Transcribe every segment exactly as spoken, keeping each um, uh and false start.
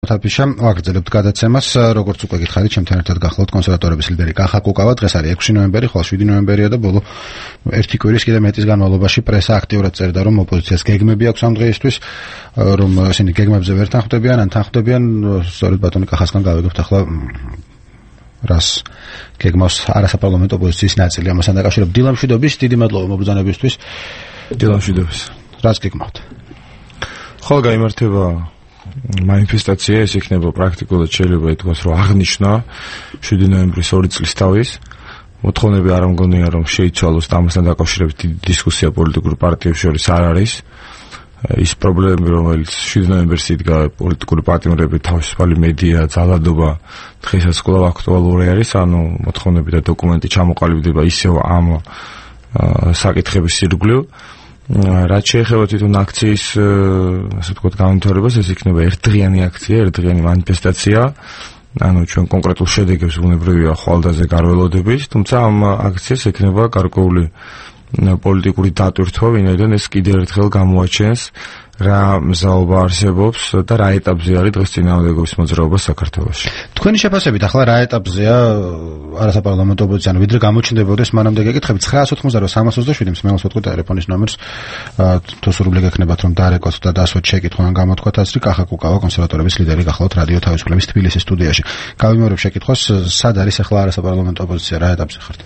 თაფიშა ვაგრძელებთ გადაცემას, როგორც უკვე გითხარით, ჩემთან ერთად გახლავთ კონსერვატორების ლიდერი კახა კუკავა. დღეს არის ექვსი ნოემბერი, ხოლო შვიდი ნოემბერია და ბოლო ერთი კვირის კიდე მეტის განმავლობაში პრესა აქტიურად წერდა, რომ ოპოზიციას გეგმები აქვს ამ დღეისთვის, რომ ისინი გეგმებზე ვერ თანხმდებიან, ან თანხმდებიან. სწორედ ბატონი კახასგან გავიგებთ ახლა რას გეგმავს არასაპარლამენტო ოპოზიციის ნაწილი ამასთან დაკავშირებით. დილა მშვიდობის, დიდი მადლობა მობრძანებისთვის. დილა მშვიდობის. რას გეგმავთ? ხოლმე გაიმართება манифестация, ეს იქნება პრაქტიკულად შეიძლება ითქვას, რომ აღნიშნა შვიდი ნოემბრის ორი წლის თავის. მოთხოვნები არ მგონია, რომ შეიცვალოს და ამასთან დაკავშირებით დისკუსია პოლიტიკურ პარტიებს შორის არ არის. ის პრობლემები, რომელიც შვიდი ნოემბერს იდგა პოლიტიკური პარტიები, თავისუფალი მედია, ძალადობა დღესაც კვლავ აქტუალური არის, ანუ მოთხოვნები და დოკუმენტი ჩამოყალიბდება ისევ ამ საკითხების ირგვლივ. რაც შეეხება თვითონ აქციის, ასე ვთქვათ, განვითარებას, ეს იქნება ერთდღიანი აქცია, ერთდღიანი манифестация. ანუ ჩვენ კონკრეტულ შედეგებს ბუნებრივია ხვალდაზე გარველოდებით, თუმცა ამ აქციას ექნება გარკვეული პოლიტიკური დატვირთვა, ვინაიდან ეს კიდევ ერთხელ გამოაჩენს რა მზაობა არსებობს და რა ეტაპზე არის დღეს წინააღმდეგობის მოძრაობა საქართველოში. თქვენი შეფასებით ახლა რა ეტაპზეა არასაპარლამენტო ოპოზიცია, ანუ ვიდრე გამოჩნდებოდეს, მანამდე გეკითხებით ცხრაას ოცდაოთხმოცდაოთხ სამას ოცდაშვიდი მსმენელს ვეთქვით ტელეფონის ნომერს, თუ სურვილი გექნებათ რომ დარეკოთ და დასვათ შეკითხვა ან გამოთქვათ აზრი, კახა კუკავა კონსერვატორების ლიდერი გახლავთ რადიო თავისუფლების თბილისის სტუდიაში. გავიმეორებ შეკითხვას, სად არის ახლა არასაპარლამენტო ოპოზიცია, რა ეტაპზე ხართ?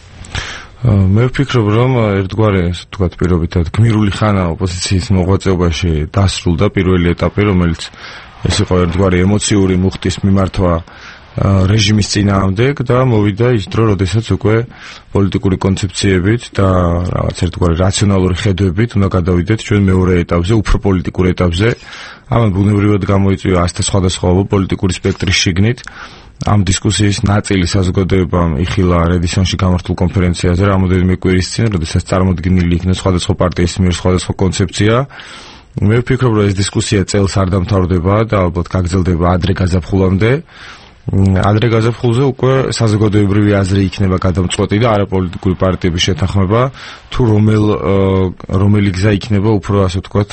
მე ვფიქრობ, რომ ერთგვარი, ასე ვთქვათ, პირობითად გმირული ხანა ოპოზიციის მოღვაწეობაში დასრულდა პირველი ეტაპი, რომელიც ეს იყო ერთგვარი ემოციური მუხტის მიმართვა რეჟიმის წინააღმდეგ და მოვიდა ის დრო, როდესაც უკვე პოლიტიკური კონცეფციებით და რაღაც ერთგვარი რაციონალური ხედვებით უნდა გადავიდეთ ჩვენ მეორე ეტაპზე, უფრო პოლიტიკურ ეტაპზე. ამან ბუნებრივად გამოიწვია ასთა სხვადასხვა პოლიტიკური სპექტრის შიგნით. ამ დისკუსიის ნაწილი საზოგადოებამ იხილა რედისონში გამართულ კონფერენციაზე რამოდენიმე კვირის წინ, როდესაც წარმოდგენილი იქნა სხვადასხვა პარტიის მიერ სხვადასხვა კონცეფცია. მე ვფიქრობ, რომ ეს დისკუსია წელს არ დამთავრდება და ალბათ გაგრძელდება ადრე გაზაფხულამდე. ადრე გაზაფხულზე უკვე საზოგადოებრივი აზრი იქნება გადამწყვეტი და არაპოლიტიკური პარტიების შეთანხმება, თუ რომელ რომელი გზა იქნება უფრო, ასე ვთქვათ,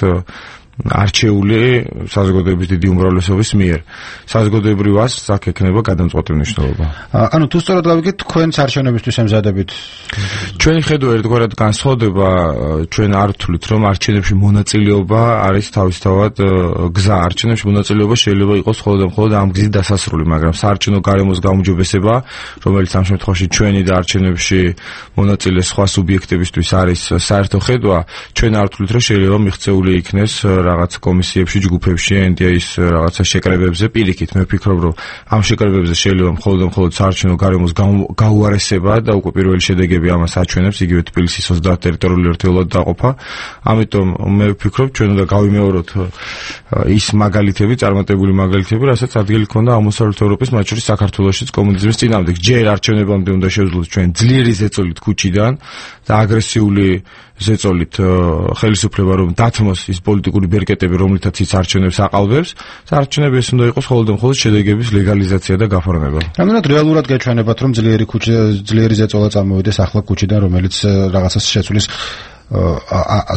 არჩეული საზოგადოების დიდი უმრავლესობის მიერ. საზოგადოებრივ აზრს აქ ექნება გადამწყვეტი მნიშვნელობა. ანუ თუ სწორად გავიგეთ, თქვენს არჩევნებისთვის ემზადებით? ჩვენი ხედვა ერთგვარად განსხვავდება, ჩვენ არ ვთვლით, რომ არჩევნებში მონაწილეობა არის თავისთავად გზა. არჩევნებში მონაწილეობა შეიძლება იყოს მხოლოდ და მხოლოდ ამ გზით დასასრული, მაგრამ საარჩევნო გარემოს გაუმჯობესება, რომელიც ამ შემთხვევაში ჩვენი და არჩევნებში მონაწილე სხვა სუბიექტებისთვის არის საერთო ხედვა, ჩვენ არ ვთვლით, რომ შეიძლება მიღწეული იქნეს რაღაც კომისიებში, ჯგუფებში, ენ დი ეის რაღაცა შეკრებებზე. პირიქით, მე ვფიქრობ, რომ ამ შეკრებებზე შეიძლება მხოლოდ და მხოლოდ საარჩევნო გარემოს გაუარესება და უკვე პირველი შედეგები ამას აჩვენებს, იგივე თბილისის ოცდაათ ტერიტორიული ერთეულად დაყოფა. ამიტომ მე ვფიქრობ, ჩვენ უნდა გავიმეოროთ ის მაგალითები, წარმატებული მაგალითები, რასაც ადგილი ჰქონდა აღმოსავლეთ ევროპის, მათ შორის საქართველოშიც კომუნიზმის წინააღმდეგ. ჯერ არჩევნებამდე უნდა შევძლოთ ჩვენ ძლიერი ზეწოლით ქუჩიდან და აგრესიული ზეწოლით ხელისუფლება რომ დათმოს ის პოლიტიკური ბერკეტები, რომლითაც ის არჩევნებს აყალბებს, არჩევნები ეს უნდა იყოს მხოლოდ და მხოლოდ შედეგების ლეგალიზაცია და გაფორმება. რამდენად რეალურად გაჩვენებათ, რომ ძლიერი ქუჩი, ძლიერი ზეწოლა წამოვიდეს ახლა ქუჩიდან, რომელიც რაღაცას შეცვლის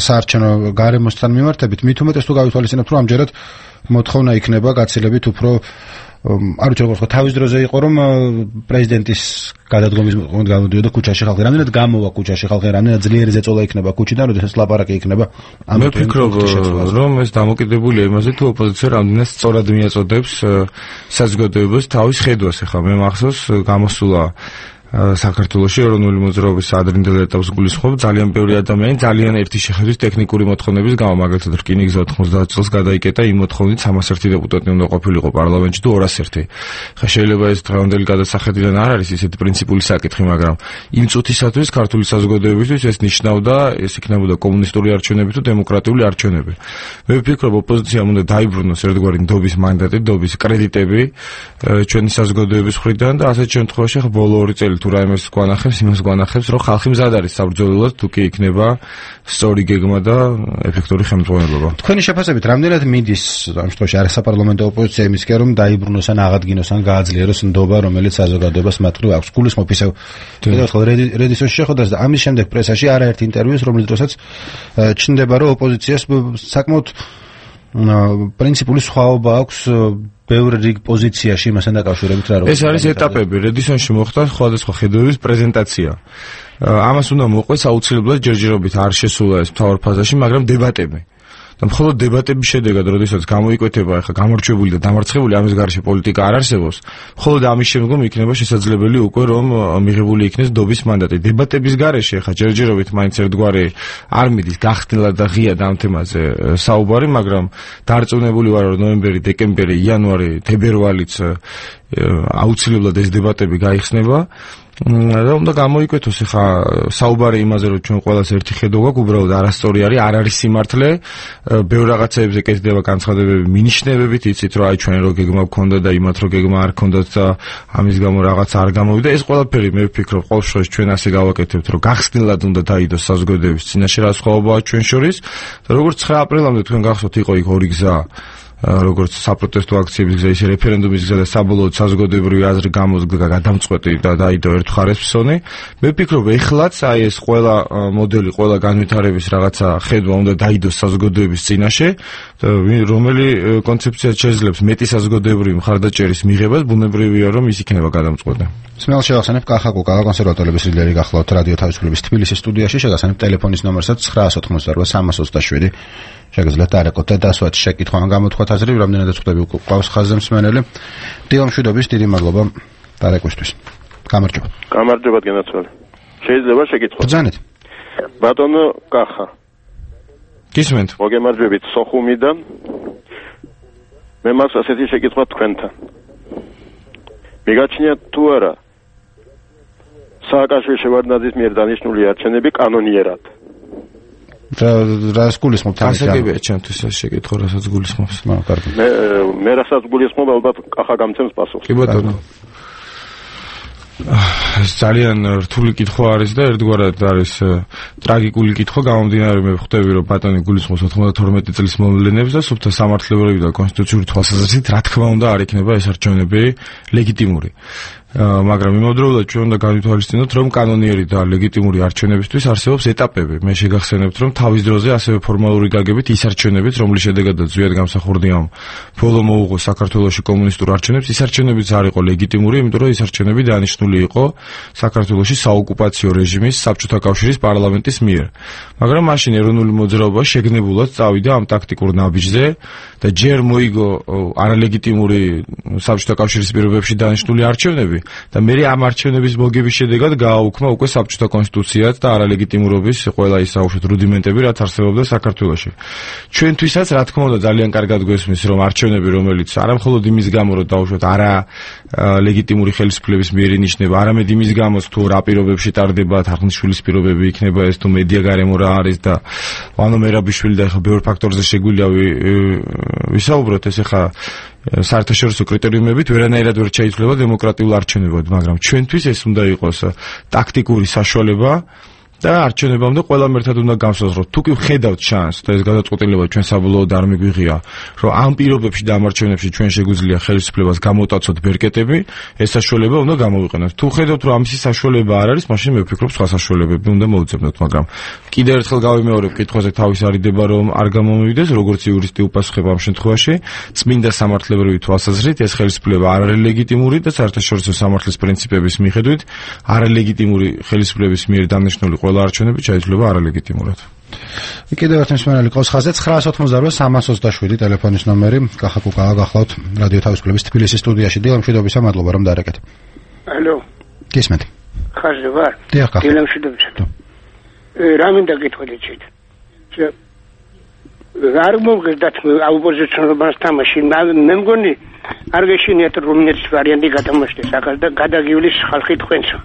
საარჩევნო გარემოსთან მიმართებით, მით უმეტეს თუ გავითვალისწინებთ, რომ ამჯერად მოთხოვნა იქნება გაცილებით უფრო არ ვიცი როგორ ხო თავის დროზე იყო რომ პრეზიდენტის გადადგომის მომენტ გამოდიოდა ქუჩაში ხალხი, რამდენად გამოვა ქუჩაში ხალხი, რამდენად ძლიერი ზეწოლა იქნება ქუჩიდან, როდესაც ლაპარაკი იქნება. მე ვფიქრობ, რომ ეს დამოკიდებულია იმაზე, თუ ოპოზიცია რამდენად სწორად მიაწოდებს საზოგადოებას თავის ხედვას. ახლა მე მახსოვს გამოსულა საქართველოში ეროვნული მოძრაობის ადრინდელ ეტაპს გულისხმობ ძალიან ბევრი ადამიანი ძალიან ერთი შეხედვით ტექნიკური მოთხოვნების გამო, მაგალითად რკინიგზა ოთხმოცდაათ წელს გადაიკეტა იმ მოთხოვნით სამას ერთი დეპუტატი უნდა ყოფილიყო პარლამენტში თუ ორას ერთი. ხა შეიძლება ეს დღევანდელი გადასახედიდან არ არის ისეთი პრინციპული საკითხი, მაგრამ იმ წუთისათვის ქართული საზოგადოებისთვის ეს ნიშნავდა, ეს იქნებოდა კომუნისტური არჩევნები თუ დემოკრატიული არჩევნები. მე ვფიქრობ, ოპოზიციამ უნდა დაიბრუნოს ერთგვარი ნდობის მანდატი, ნდობის კრედიტები ჩვენი საზოგადოების მხრიდან და ასეთ შემთხვევაში ხა ბოლო ორი წელი თუ რაიმეს გვანახებს, იმას გვანახებს, რომ ხალხი მზად არის საბრძოლველად, თუ კი იქნება სწორი გეგმა და ეფექტური ხელმძღვანელობა. თქვენი შეფასებით, რამდენად მიდის ამ შემთხვევაში არასაპარლამენტო ოპოზიცია იმისკენ, რომ დაიბრუნოს ან აღადგინოს ან გააძლიეროს ნდობა, რომელიც საზოგადოებას მათრივ აქვს? გულისხმობ ისევ ერთხელ რედისონში შეხვედრას და ამის შემდეგ პრესაში არაერთ ინტერვიუს, რომლის დროსაც ჩნდება, რომ ოპოზიციას საკმაოდ პრინციპული სხვაობა აქვს ბევრი რიგ პოზიციაში იმასთან დაკავშირებით რა ეს არის ეტაპები. რედისონში მოხდა სხვადასხვა ხედვების პრეზენტაცია. ამას უნდა მოყვეს აუცილებლად ჯერჯერობით არ შესულა ეს მთავარ ფაზაში, მაგრამ დებატები. და მხოლოდ დებატების შედეგად, როდესაც გამოიკვეთება ახლა გამორჩეული და დამარცხებული ამის გარშე პოლიტიკა არ არსებობს, მხოლოდ ამის შემდგომ იქნება შესაძლებელი უკვე რომ მიღებული იქნეს დობის მანდატი. დებატების გარეშე ახლა ჯერჯერობით მაინც ერთგვარი არ მიდის გახსნილად და ღიად ამ თემაზე საუბარი, მაგრამ დარწმუნებული ვარ რომ ნოემბერი, დეკემბერი, იანვარი, თებერვალიც აუცილებლად ეს დებატები გაიხსნება. და უნდა გამოიკვეთოს ახლა საუბარი იმაზე რომ ჩვენ ყველას ერთი ხედვა გვაქვს, უბრალოდ არასწორი არის, არ არის სიმართლე, ბევრ რაღაცებზე კეთდება განცხადებები მინიშნებებით, იცით რომ აი ჩვენ რო გეგმა გქონდა და იმათ რო გეგმა არ გქონდათ და ამის გამო რაღაც არ გამოვიდა. ეს ყველაფერი მე ვფიქრობ ყოველ შემთხვევაში ჩვენ ასე გავაკეთებთ, რომ გახსნილად უნდა დაიდოს საზოგადოების წინაშე რა სხვაობაა ჩვენ შორის. და როგორც ცხრა აპრილამდე თქვენ გახსოვთ იყო იქ ორი გზა, როგორც საპროტესტო აქციების გზა, ისე რეფერენდუმის გზა და საბოლოოდ საზოგადოებრივი აზრი გამოსგა გადამწყვეტი და დაიდო ერთ მხარეს ფსონი. მე ვფიქრობ, ეხლაც აი ეს ყველა მოდელი, ყველა განვითარების რაღაცა ხედვა უნდა დაიდოს საზოგადოების წინაშე, რომელი კონცეფციაც შეძლებს მეტი საზოგადოებრივი მხარდაჭერის მიღებას, ბუნებრივია რომ ის იქნება გადამწყვეტი. სმეალ შევახსენებ კახა კუკა კონსერვატორების ლიდერი გახლავთ რადიო თავისუფლების თბილისის სტუდიაში, შეგახსენებ ტელეფონის ნომერსაც ცხრა ოცდაოთხმოცდაოთხ სამას ოცდაშვიდი. შეგიძლიათ დაარეკოთ და დასვათ შეკითხვა ან გამოთქვათ აზრი, რამდენადაც ხვდები ყავს ხაზზე მსმენელი. დილო მშვიდობის, დიდი მადლობა დარეკვისთვის. გამარჯობა. გამარჯობა გენაცვალე. შეიძლება შეკითხვა? ბრძანეთ. ბატონო კახა. გისმენთ. მოგემარჯვებით სოხუმიდან. მე მაქვს ასეთი შეკითხვა თქვენთან. მიგაჩნიათ თუ არა სააკაშვილი შევარდნაძის მიერ დანიშნული არჩევნები კანონიერად? რა რას გულისხმობთ ამით? ასაკებია ჩემთვის ეს შეკითხვა, რასაც გულისხმობს. მე კარგი. მე მე რასაც გულისხმობ, ალბათ კახა გამცემს პასუხს. კი ბატონო. ეს ძალიან რთული კითხვა არის და ერთგვარად არის ტრაგიკული კითხვა, გამომდინარე მე ვხვდები რომ ბატონი გულისხმობს ოცდათორმეტი წლის მოვლენებს და სუფთა სამართლებრივი და კონსტიტუციური თვალსაზრისით რა თქმა უნდა არ იქნება ეს არჩევნები ლეგიტიმური. მაგრამ იმავდროულად ჩვენ უნდა განვითვალისწინოთ რომ კანონიერი და ლეგიტიმური არჩევნებისთვის არსებობს ეტაპები. მე შეგახსენებთ რომ თავის დროზე ასევე ფორმალური გაგებით ის არჩევნებიც რომლის შედეგადაც ზვიად გამსახურდიამ ბოლო მოუღო საქართველოში კომუნისტურ არჩევნებს, ის არჩევნებიც არ იყო ლეგიტიმური, იმიტომ რომ ის არჩევნები დანიშნული იყო საქართველოში საოკუპაციო რეჟიმის საბჭოთა კავშირის პარლამენტის მიერ. მაგრამ მაშინ ეროვნული მოძრაობა შეგნებულად წავიდა ამ ტაქტიკურ ნაბიჯზე და ჯერ მოიგო არალეგიტიმური საბჭოთა კავშირის პირობებში დანიშნული არჩევნები და მე ამ არჩევნების მოგების შედეგად გააუქმა უკვე საბჭოთა კონსტიტუციაც და არალეგიტიმურობის ყველა ის აუშვეთ რუდიმენტები, რაც არსებობდა საქართველოში. ჩვენთვისაც რა თქმა უნდა ძალიან კარგად გვესმის რომ არჩევნები, რომელიც არა მხოლოდ იმის გამო რომ დაუშვეთ არა ლეგიტიმური ხელისუფლების მიერ ინიშნება, არამედ იმის გამოც თუ რა პირობებში ტარდება თარხნიშვილის პირობები იქნება ეს თუ მედია გარემო რა არის და ვანო მერაბიშვილი და ეხა ბევრ ფაქტორზე შეგვიძლია ვისაუბროთ, ეს ეხა საერთაშორისო კრიტერიუმებით ვერანაირად ვერ შეიძლება დემოკრატიულ არჩევნებად, მაგრამ ჩვენთვის ეს უნდა იყოს ტაქტიკური საშუალება და არჩევნებამდე ყველამ ერთად უნდა გავსაზროთ. თუ კი ვხედავთ შანსს და ეს გადაწყვეტილება ჩვენ საბოლოოდ არ მიგვიღია, რომ ამ პირობებში და ამ არჩევნებში ჩვენ შეგვიძლია ხელისუფლებას გამოვტაცოთ ბერკეტები, ეს საშუალება უნდა გამოვიყენოთ. თუ ხედავთ რომ ამისი საშუალება არ არის, მაშინ მე ვფიქრობ სხვა საშუალებები უნდა მოვუძებნოთ, მაგრამ კიდევ ერთხელ გავიმეორებ კითხვაზე თავის არიდება რომ არ გამომივიდეს, როგორც იურისტი უპასუხებ ამ შემთხვევაში, წმინდა სამართლებრივი თვალსაზრისით ეს ხელისუფლება არ არის ლეგიტიმური და საერთაშორისო სამართლის პრინციპების მიხედვით არალეგიტიმური ხელისუფლების მიერ დანიშნული არჩევნები შეიძლება არალეგიტიმურად. კიდევ ერთ მსმენელი ყავს ხაზზე ცხრა ოცდაოთხ სამას ოცდაშვიდი ტელეფონის ნომერი. კახა კუკა გახლავთ რადიო თავისუფლების თბილისის სტუდიაში. დილო მშვიდობისა, მადლობა რომ დაარეკეთ. ალო. გისმენთ. ხაზზე ვარ. დილო მშვიდობისა. რა მინდა გითხრათ შეიძლება. არ მოგეძდათ აუპოზიციონერობას თამაში. მე მგონი არ გეშინიათ რუმინეთის ვარიანტი გადამოშდეს ახალ და გადაგივლის ხალხი თქვენსა.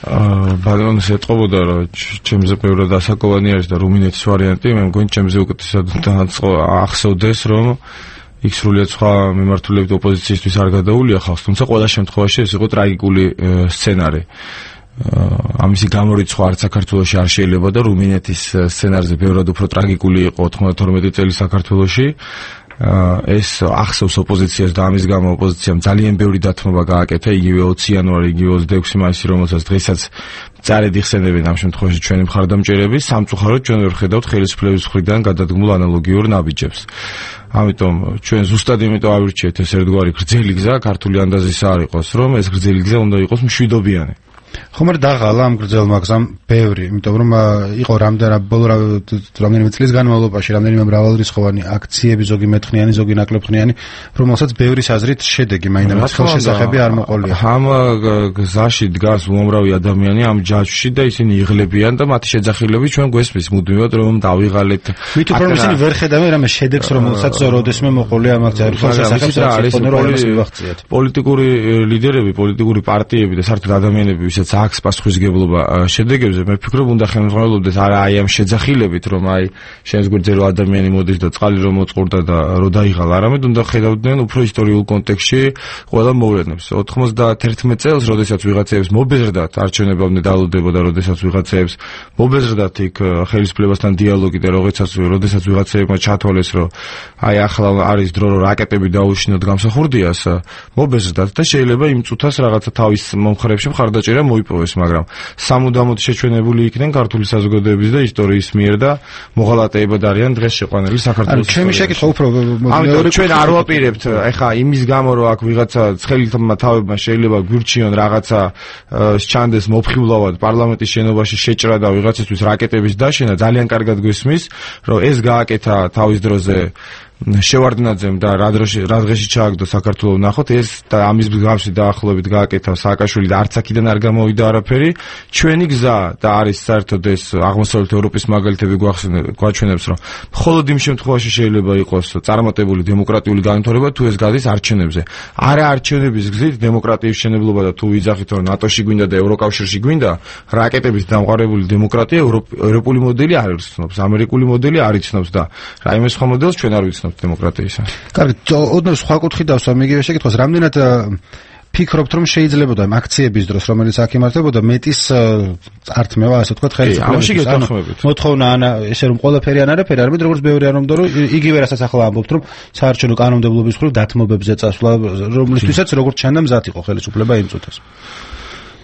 ბალონს ეტყობოდა რომ ჩემზე ბევრად ასაკოვანი არის და რუმინეთის ვარიანტი, მე მგონი ჩემზე უკეთესად ახსოვდეს რომ იქ სრულიად სხვა მიმართულებით ოპოზიციისთვის არ გადაულია ხალხს, თუმცა ყველა შემთხვევაში ეს იყო ტრაგიკული სცენარი. ამისი გამორიცხვა არც საქართველოში არ შეიძლება და რუმინეთის სცენარზე ბევრად უფრო ტრაგიკული იყო ოთხმოცდათორმეტი წელი საქართველოში. ეს ახსოვს ოპოზიციას და ამის გამო ოპოზიციამ ძალიან ბევრი დათმობა გააკეთა, იგივე ოცი იანვარი, იგივე ოცდაექვსი მაისი, რომელსაც დღესაც წარედ იხსენებენ ამ შემთხვევაში ჩვენი მხარდამჭერები, სამწუხაროდ ჩვენ ვერ ხედავთ ხელისუფლების მხრიდან გადადგმულ ანალოგიურ ნაბიჯებს. ამიტომ ჩვენ ზუსტად იმიტომ ავირჩიეთ ეს ერთგვარი გრძელი გზა, ქართული ანდაზისა არ იყოს, რომ ეს გრძელი გზა უნდა იყოს მშვიდობიანი. ხომ არ დაღალა ამ გრძელმა გზამ ბევრი, იმიტომ რომ იყო რამდენი ბოლო რამდენიმე წლის განმავლობაში რამდენიმე მრავალრიცხოვანი აქციები, ზოგი მეთხნიანი, ზოგი ნაკლებხნიანი, რომელსაც ბევრის აზრით შედეგი მაინც ხელშესახები არ მოყოლია. ამ გზაში დგას უამრავი ადამიანი ამ ჯაჭვში და ისინი იღლებიან და მათი შეძახილები ჩვენ გვესმის მუდმივად რომ დავიღალეთ. მით უფრო რომ ისინი ვერ ხედავენ რამე შედეგს, რომელსაც როდესმე მოყოლია ამ აქციაზე. ხელშესახები პოლიტიკური ლიდერები, პოლიტიკური პარტიები და საერთოდ ადამიანები, ვისაც აქვს პასუხისმგებლობა შედეგებზე, მე ვფიქრობ, უნდა ხელმძღვანელობდეს არა აი ამ შეძახილებით, რომ აი შენს გვერდზე რო ადამიანი მოდის და წყალი რომ მოწყურდა და რო დაიღალა, არამედ უნდა ხედავდნენ უფრო ისტორიულ კონტექსტში ყველა მოვლენებს. ოთხმოცდაათერთმეტ წელს, როდესაც ვიღაცებს მობეზრდათ არჩევნებამდე დალოდება და როდესაც ვიღაცებს მობეზრდათ იქ ხელისუფლებასთან დიალოგი და როდესაც როდესაც ვიღაცებმა ჩათვალეს, რომ აი ახლა არის დრო რომ რაკეტები დაუშინოთ გამსახურდიას, მობეზრდათ და შეიძლება იმ წუთას რაღაცა თავის მომხრეებში მხარდაჭერა მოიპოვეს, მაგრამ სამუდამოდ შეჩვენებული იქნენ ქართული საზოგადოების და ისტორიის მიერ და მოღალატეებად არიან დღეს შეყვანილი საქართველოს. ჩემი შეკითხვა უფრო მეორე ჩვენ არ ვაპირებთ, ეხა იმის გამო რომ აქ ვიღაცა ცხელითმა თავებმა შეიძლება გვირჩიონ რაღაცა სჩანდეს მოფხილავად პარლამენტის შენობაში შეჭრა და ვიღაცისთვის რაკეტების დაშენა, ძალიან კარგად გვესმის, რომ ეს გააკეთა თავის დროზე შევარდნაძემ და რა დროში რა დღეში ჩააგდო საქართველოს ნახოთ ეს და ამის მსგავსი დაახლოებით გააკეთა სააკაშვილი და არც აქედან არ გამოვიდა არაფერი. ჩვენი გზა და არის საერთოდ ეს აღმოსავლეთ ევროპის მაგალითები გვაჩვენებს, რომ მხოლოდ იმ შემთხვევაში შეიძლება იყოს წარმატებული დემოკრატიული განვითარება თუ ეს გადის არჩევნებზე. არა არჩევნების გზით დემოკრატიის მშენებლობა და თუ ვიძახით რომ ნატოში გვინდა და ევროკავშირში გვინდა, რაკეტების დამყარებული დემოკრატია ევროპული მოდელი არ იცნობს, ამერიკული მოდელი არ იცნობს და რაიმე სხვა მოდელს ჩვენ არ ვიცნობთ დემოკრატიისა. კარგი, ოდნავ სხვა კუთხით დავსვა მიგივე შეკითხვას, რამდენად ფიქრობთ რომ შეიძლება ამ აქციების დროს, რომელიც აქ იმართებოდა, მეტის ართმევა, ასე ვთქვათ, ხელისუფლების მოთხოვნა ან ესე რომ ყველაფერი ან არაფერი, არამედ როგორც ბევრი არ უნდა რომ იგივე რასაც ახლა ამბობთ, რომ საარჩევნო კანონმდებლობის მხრივ დათმობებზე წასვლა, რომლისთვისაც როგორც ჩანდა მზად იყო ხელისუფლება იმ წუთას.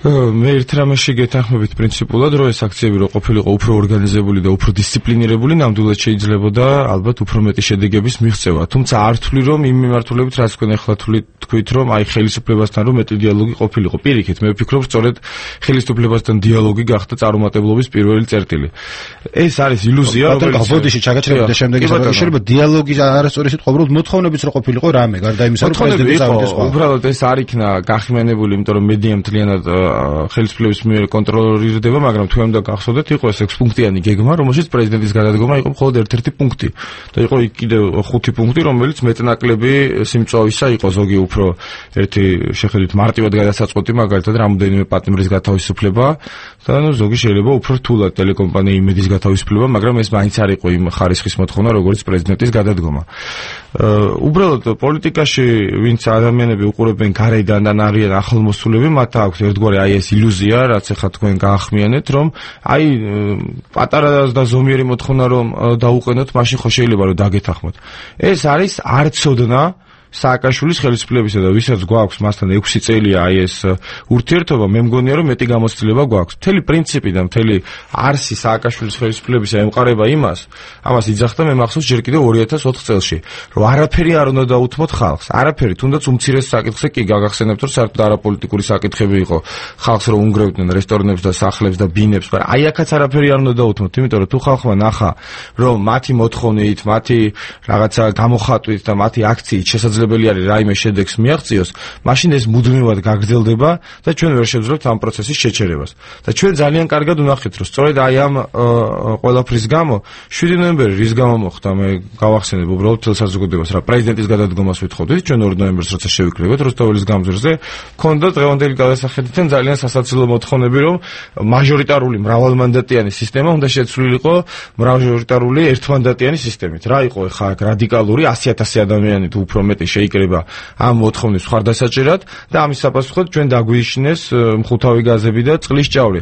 მე ერთ რამეში გეთანხმებით პრინციპულად, რომ ეს აქციები რო ყოფილიყო უფრო ორგანიზებული და უფრო დისციპლინირებული, ნამდვილად შეიძლებოდა ალბათ უფრო მეტი შედეგების მიღწევა. თუმცა არ ვთვლი, რომ იმ მიმართულებით, რაც თქვენ ახლა თქვით, რომ აი ხელისუფლებასთან რომ მეტი დიალოგი ყოფილიყო. პირიქით, მე ვფიქრობ, სწორედ ხელისუფლებასთან დიალოგი გახდა წარუმატებლობის პირველი წერტილი. ეს არის ილუზია, რომელიც ბოდიში ჩაგაჭრება და შემდეგ შეიძლება დიალოგი არასწორი სიტყვა, უბრალოდ მოთხოვნებიც რო ყოფილიყო რამე, გარდა იმისა, რომ პრეზიდენტი წავიდეს სხვა. უბრალოდ ეს არ იქნა გახმიანებული, იმიტომ რომ მედია მთლიანად ხელისუფლების მიერ კონტროლირდება, მაგრამ თუ უნდა გახსოვდეთ, იყო ეს ექვსპუნქტიანი გეგმა, რომელშიც პრეზიდენტის გადადგომა იყო მხოლოდ ერთ-ერთი პუნქტი და იყო იქ კიდევ ხუთი პუნქტი, რომელიც მეტნაკლები სიმწვავისა იყო, ზოგი უფრო ერთი შეხედვით მარტივად გადასაწყვეტი, მაგალითად რამოდენიმე პატიმრის გათავისუფლება და ნუ ზოგი შეიძლება უფრო რთულად ტელეკომპანია იმედის გათავისუფლება, მაგრამ ეს მაინც არ იყო იმ ხარისხის მოთხოვნა, როგორც პრეზიდენტის გადადგომა. უბრალოდ პოლიტიკაში ვინც ადამიანები უყურებენ გარედან და არიან ახლომოსულები, მათ აქვს ერთგვარი აი ეს ილუზია, რაც ახლა თქვენ გაახმიანეთ, რომ აი პატარა და ზომიერი მოთხოვნა რომ დაუყენოთ, მაშინ ხო შეიძლება რომ დაგეთანხმოთ. ეს არის არცოდნა სააკაშვილის ხელისუფლებისა და ვისაც გვაქვს მასთან ექვსი წელია აი ეს ურთიერთობა, მე მგონია რომ მეტი გამოცდილება გვაქვს. მთელი პრინციპი და მთელი არსი სააკაშვილის ხელისუფლებისა ემყარება იმას, ამას იძახდა მე მახსოვს ჯერ კიდევ ორი ათას ოთხ წელში, რომ არაფერი არ უნდა დაუთმოთ ხალხს. არაფერი, თუნდაც უმცირეს საკითხზე კი გაგახსენებთ, რომ საერთოდ არაპოლიტიკური საკითხები იყო. ხალხს რომ უნგრევდნენ რესტორნებს და სახლებს და ბინებს, მაგრამ აი აქაც არაფერი არ უნდა დაუთმოთ, იმიტომ რომ თუ ხალხმა ნახა, რომ მათი მოთხოვნით, მათი რაღაცა გამოხატვით და მათი აქციით შესაძლებელი არის რაიმე შედეგს მიაღწიოს, მაშინ ეს მუდმივად გაგრძელდება და ჩვენ ვერ შევძლებთ ამ პროცესის შეჩერებას. და ჩვენ ძალიან კარგად ვნახეთ, რომ სწორედ აი ამ ყველაფრის გამო შვიდი ნოემბერი რის გამო მოხდა, მე გავახსენებ უბრალოდ თელ საზოგადოებას, რა პრეზიდენტის გადადგომას ვითხოვდით, ჩვენ ორი ნოემბერს როცა შევიკრიბეთ როსტოველის გამზირზე, ქონდა დღევანდელი გადასახედიდან ძალიან სასაცილო მოთხოვნები, რომ მაჟორიტარული მრავალმანდატიანი სისტემა უნდა შეცვლილიყო მაჟორიტარული ერთმანდატიანი სისტემით. რა იყო ხა რადიკალური ასი ათასი ადამიანი თუ უფრო მეტი შეიკრება ამ მოთხოვნის მხარდასაჭერად და ამის საპასუხოდ ჩვენ დაგვიშინეს მხუთავი გაზები და წყლის ჭავლი.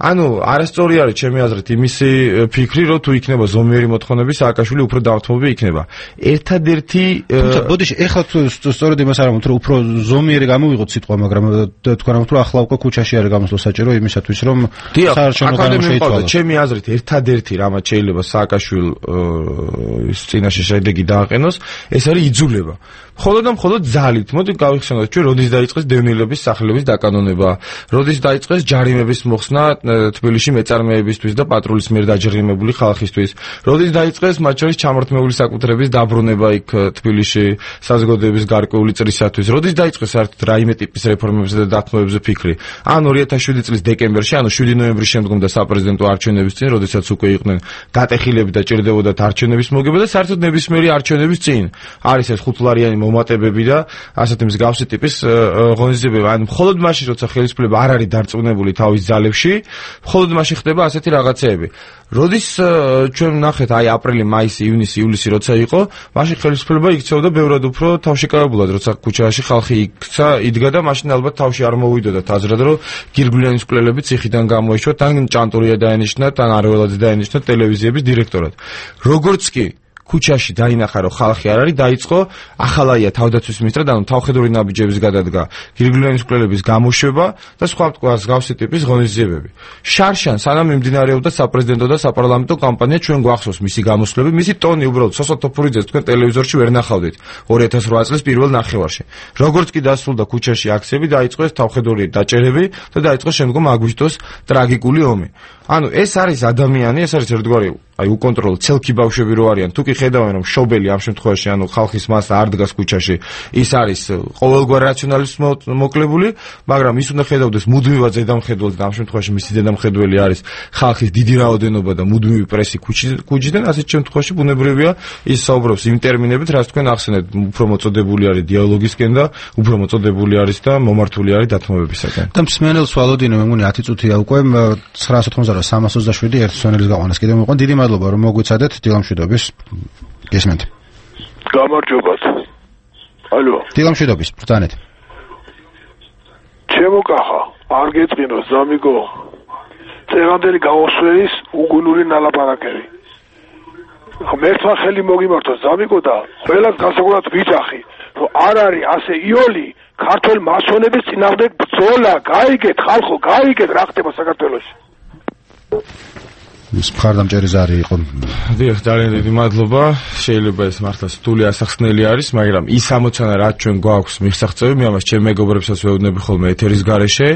ანუ არასწორი არის ჩემი აზრით იმისი ფიქრი, რომ თუ იქნება ზომიერი მოთხოვნები, სააკაშვილი უფრო დავრთმობი იქნება. ერთადერთი თუმცა ბოდიში ეხლა სწორედ იმას არ ამბობთ, რომ უფრო ზომიერი გამოვიღოთ სიტყვა, მაგრამ თქვენ ამბობთ, რომ ახლა უკვე ქუჩაში არის გამოსვლა საჭირო იმისათვის, რომ საარჩევნო განმავლობა შეიცვალოს. ჩემი აზრით ერთადერთი რამაც შეიძლება სააკაშვილის წინაშე შედეგი დააყენოს, ეს არის იძულება. მხოლოდ და მხოლოდ ძალით. მოდი გავიხსენოთ, ჩვენ როდის დაიწყეს დევნილების სახლების დაკანონება, როდის დაიწყეს ჯარიმების მოხსნა თბილისში მეწარმეებისთვის და პატრულის მიერ დაჯერიმებული ხალხისთვის, როდის დაიწყეს მათ შორის ჩამორთმეული საკუთრების დაბრუნება იქ თბილისში საზოგადოების გარკვეული წრისათვის, როდის დაიწყეს საერთოდ რაიმე ტიპის რეფორმებზე და დათმობებზე ფიქრი. ან ორი ათას შვიდი წლის დეკემბერში, ანუ შვიდი ნოემბრის შემდგომ და საპრეზიდენტო არჩევნების წინ, როდესაც უკვე იყვნენ გატეხილები და ჭირდებოდათ არჩევნების მოგება და საერთოდ ნებისმიერი არჩევნების წინ არის ეს ხუთლარიანი მომატებები და ასეთი მსგავსი ტიპის ღონისძიებები. ან მხოლოდ მაშინ, როცა ხელისუფლება არ არის დარწმუნებული თავის ძალებში, მხოლოდ მაშინ ხდება ასეთი რაღაცეები. როდის ჩვენ ვნახეთ აი აპრილი, მაისი, ივნისი, ივლისი როცა იყო, მაშინ ხელისუფლება იქცეოდა ბევრად უფრო თავშეკავებულად, როცა ქუჩაში ხალხი იქცა, იდგა და მაშინ ალბათ თავში არ მოვიდოდა აზრად, რომ გირგვლიანის მკვლელები ციხიდან გამოეშვა, თან ჭანტურია დაენიშნა, თან არველაძე დაენიშნა ტელევიზიების დირექტორად. როგორც კი ქუჩაში დაინახა, რომ ხალხი არ არის, დაიწყო ახალაია თავდაცვის მინისტრად, ანუ თავხედური ნაბიჯების გადადგა, გირგვლიანის მკვლელების გამოშვება და სხვა მსგავსი ტიპის ღონისძიებები. შარშან სანამ მიმდინარეობდა საპრეზიდენტო და საპარლამენტო კამპანია, ჩვენ გვახსოვს მისი გამოსვლები, მისი ტონი უბრალოდ სოსო თოფურიძეს თქვენ ტელევიზორში ვერ ნახავდით ორი ათას რვა წლის პირველ ნახევარში. როგორც კი დასრულდა ქუჩაში აქციები, დაიწყო ეს თავხედური დაჭერები და დაიწყო შემდგომ აგვისტოს ტრაგიკული ომი. ანუ ეს არის ადამიანი, ეს არის ერთგვარი აი უკონტროლო ცელქი ბავშვები რო არიან, თუ კი ხედავენ რომ შობელი ამ შემთხვევაში, ანუ ხალხის მასა არ დგას ქუჩაში, ის არის ყოველგვარ რაციონალიზმს მოკლებული, მაგრამ ის უნდა ხედავდეს მუდმივად ზედამხედველს და ამ შემთხვევაში მისი ზედამხედველი არის ხალხის დიდი რაოდენობა და მუდმივი პრესი ქუჩიდან, ასეთ შემთხვევაში ბუნებრივია ის საუბრობს იმ ტერმინებით, რაც თქვენ ახსენეთ, უფრო მოწოდებული არის დიალოგისკენ და უფრო მოწოდებული არის და მომართული არის დათმობებისაკენ. და მსმენელს ვალოდინო, მე მგონი ათი წუთია უკვე ცხრაას ოცდაოთხმოცდაოთხ სამას ოცდაშვიდი ერთი სვენელის გაყვანას კიდევ მოყვან. დიდი მადლობა რომ მოგვიცადეთ დილამშვიდობის. გესმენთ. გამარჯობათ. ალო. დილამშვიდობის, ბრძანეთ. ჩემო კახა, არ გეწყინო ზამიგო. წევანდელი გამოსვლის უგუნური ნალაპარაკები. მერტვა ხელი მოგიმართო ზამიგო და ყველას განსაკუთრებით ვიძახი, რომ არ არის ასე იოლი ქართულ მასონების წინააღმდეგ ბრძოლა, გაიგეთ ხალხო, გაიგეთ რა ხდება საქართველოში. ის მხარდამჭერი ზარი იყო. დიახ, ძალიან დიდი მადლობა. შეიძლება ეს მართლა სრული ასახსნელი არის, მაგრამ ის ამოცანა, რაც ჩვენ გვაქვს მიღწევები, მე ამას ჩემ მეგობრებსაც ვეუბნები ხოლმე ეთერის გარეშე,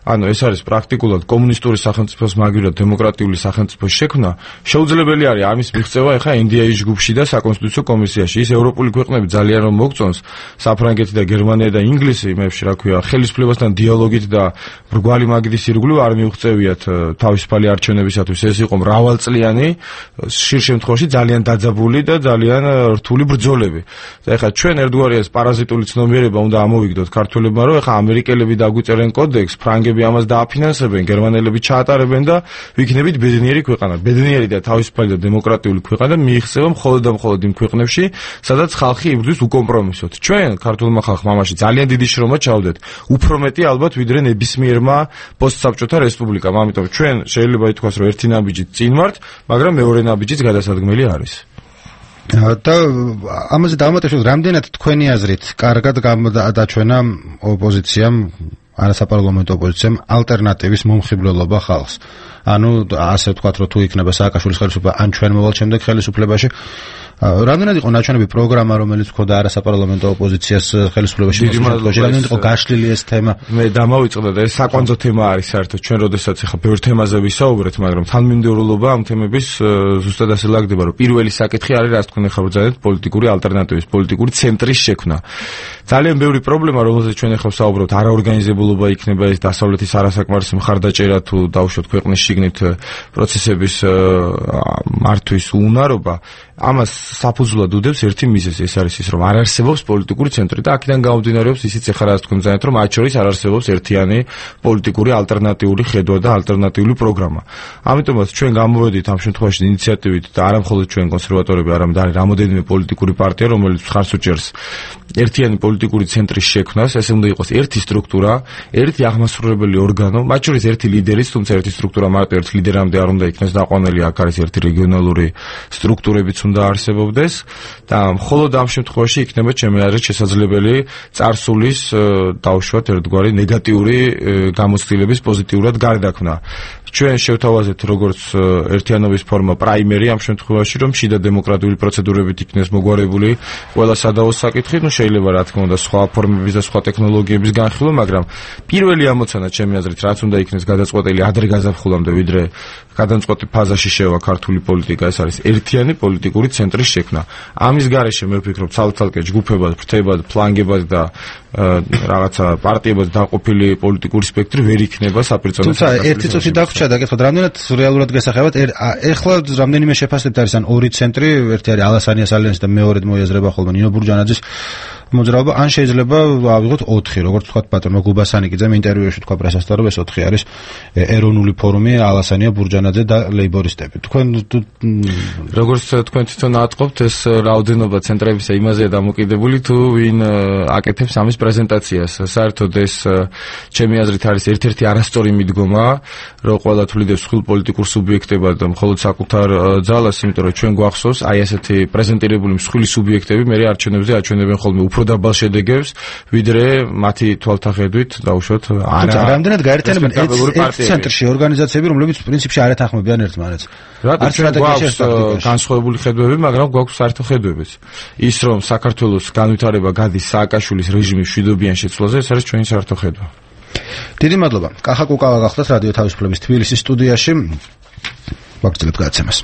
ანუ ეს არის პრაქტიკულად კომუნისტური სახელმწიფოს მაგივრად დემოკრატიული სახელმწიფოს შექმნა. შეუძლებელი არის ამის მიღწევა ეხა εν დი ეი ჯგუფში და საკონსტიტუციო კომისიაში. ის ევროპული ქვეყნები ძალიან რომ მოგწონს, საფრანგეთი და გერმანია და ინგლისი, იმებში რა ქვია, ხელისუფლებასთან დიალოგით და ბრგვალი მაგიდის ირგვლივ არ მიუღწევიათ თავისუფალი არჩევნებისათვის. ეს იყო მრავალწლიანი, ხშირ შემთხვევაში ძალიან დაძაბული და ძალიან რთული ბრძოლები. და ეხლა ჩვენ ერთგვარი ეს პარაზიტული ცნობიერება უნდა ამოვიგდოთ ქართველებმა, რომ ეხლა ამერიკელები დაგვიწერენ კოდექსს, ფრანგები ამას დააფინანსებენ, გერმანელები ჩაატარებენ და ვიქნებით ბედნიერი ქვეყანა. ბედნიერი და თავისუფალი და დემოკრატიული ქვეყანა მიიღწევა მხოლოდ და მხოლოდ იმ ქვეყნებში, სადაც ხალხი იბრძვის უკომპრომისოდ. ჩვენ ქართულმა ხალხმა ამაში ძალიან დიდი შრომა ჩავდეთ. უფრო მეტი ალბათ ვიდრე ნებისმიერმა პოსტსაბჭოთა რესპუბლიკამ. ამიტომ ჩვენ შეიძლება ითქვას, რომ ერთი ნაბიჯით წინ ვართ, მაგრამ მეორე ნაბიჯიც გადასადგმელი არის. და ამაზე დავამატებთ, რამდენად თქვენი აზრით კარგად გადაჩვენა ოპოზიციამ, არასაპარლამენტო ოპოზიციამ ალტერნატივის მომხიბვლელობა ხალხს. ანუ ასე ვთქვათ, რომ თუ იქნება სააკაშვილის ხელისუფლება, ან ჩვენ მოვალ შემდეგ ხელისუფლებაში, რამდენად იყო ნაჩვენები პროგრამა, რომელიც ჰქონდა არასაპარლამენტო ოპოზიციას ხელისუფლებაში მოსვლაში, რამდენად იყო გაშლილი ეს თემა? მე დამავიწყდა და ეს საკვანძო თემა არის საერთოდ ჩვენ როდესაც ახლა ბევრ თემაზე ვისაუბრეთ, მაგრამ თანმიმდევრულობა ამ თემების ზუსტად ასე ლაგდება, რომ პირველი საკითხი არის, რაც თქვენ ახლა ბრძანეთ, პოლიტიკური ალტერნატივის, პოლიტიკური ცენტრის შექმნა. ძალიან ბევრი პრობლემა, რომელზეც ჩვენ ახლა ვსაუბრობთ, არაორგანიზებულობა იქნება, ეს დასავლეთის არასაკმარისი მხარდაჭერა თუ დავუშვათ ქვეყნის შიგნით პროცესების მართვის უნარობა ამას საფუძვლად უდევს ერთი მიზეზი, ეს არის ის, რომ არ არსებობს პოლიტიკური ცენტრი და აქედან გამომდინარეობს ისიც ეხლა რაც თქვენ ძალიან, რომ მათ შორის არ არსებობს ერთიანი პოლიტიკური ალტერნატიული ხედვა და ალტერნატიული პროგრამა. ამიტომაც ჩვენ გამოვედით ამ შემთხვევაში ინიციატივით და არა მხოლოდ ჩვენ კონსერვატორები, არამედ არის რამოდენიმე პოლიტიკური პარტია, რომელიც ხარს უჭერს ერთიანი პოლიტიკური ცენტრის შექმნას, ეს უნდა იყოს ერთი სტრუქტურა, ერთი აღმასრულებელი ორგანო, მათ შორის ერთი ლიდერიც, თუმცა ერთი სტრუქტურა მარტო ერთ ლიდერამდე არ უნდა იქნეს დაყვანილი, აქ არის ერთი რეგიონალური სტრუქტურებიც უნდა არსებობდეს და მხოლოდ ამ შემთხვევაში იქნება ჩემი აზრით შესაძლებელი წარსულის დავუშვათ ერთგვარი ნეგატიური გამოცდილების პოზიტიურად გარდაქმნა. ჩვენ შევთავაზეთ როგორც ერთიანობის ფორმა პრაიმერი ამ შემთხვევაში, რომ შიდა დემოკრატიული პროცედურებით იქნეს მოგვარებული ყველა სადავო საკითხი, ну შეიძლება რა თქმა უნდა სხვა ფორმების და სხვა ტექნოლოგიების განხილვა, მაგრამ პირველი ამოცანა ჩემი აზრით რაც უნდა იქნეს გადაწყვეტილი ადრე გაზაფხულამდე, ვიდრე გადამწყვეტი ფაზაში შევა ქართული პოლიტიკა, ეს არის ერთიანი პოლიტიკური ცენტრის შექმნა. ამის გარეშე მე ვფიქრობ ცალ-ცალკე ჯგუფებად, ფრთებად, ფლანგებად და რაღაცა პარტიებად დაყოფილი პოლიტიკური სპექტრი ვერ იქნება საპირწონო. თუმცა ერთი წუთი დაგვრჩა და გითხოთ, რამდენად რეალურად გასახებად ეხლა რამდენიმე შეფასებთ არის ან ორი ცენტრი, ერთი არის ალასანიას ალიანსი და მეორედ მოიაზრება ხოლმე ნინო ბურჯანაძის მოძრაობა, ან შეიძლება ავიღოთ ოთხი, როგორც თქვა პატრონო გუბასანიკიძემ ინტერვიუში თქვა პრესასთან, რომ ეს ოთხი არის ეროვნული ფორუმი, ალასანია, ბურჯანაძე და ლეიბორისტები. თქვენ როგორც თქვენ თვითონ ატყობთ, ეს რაოდენობა ცენტრებისა იმაზეა დამოკიდებული, თუ ვინ აკეთებს ამის პრეზენტაციას. საერთოდ ეს ჩემი აზრით არის ერთ-ერთი არასწორი მიდგომა, რომ ყველა თვლიდებს ხილ პოლიტიკურ სუბიექტებად მხოლოდ საკუთარ ძალას, იმიტომ რომ ჩვენ გვახსოვს აი ესეთი პრეზენტირებული მსხვილი სუბიექტები მე არჩევნებზე აჩვენებენ ხოლმე უფრო დაბალ შედეგებს, ვიდრე მათი თვალთახედვით დაუშვათ არა. რამდენად გაერთიანებენ ერთ ცენტრში ორგანიზაციები, რომლებიც პრინციპში არ ეთანხმებიან ერთმანეთს. რატომ ჩვენ გვაქვს განსხვავებული ხედვები, მაგრამ გვაქვს საერთო ხედვებიც. ის რომ საქართველოს განვითარება გადის სააკაშვილის რეჟიმის მშვიდობიან შეცვლაზე, ეს არის ჩვენი საერთო ხედვა. დიდი მადლობა. კახა კუკავა გახლდათ რადიო თავისუფლების თბილისის სტუდიაში. ვაგრძელებთ გადაცემას.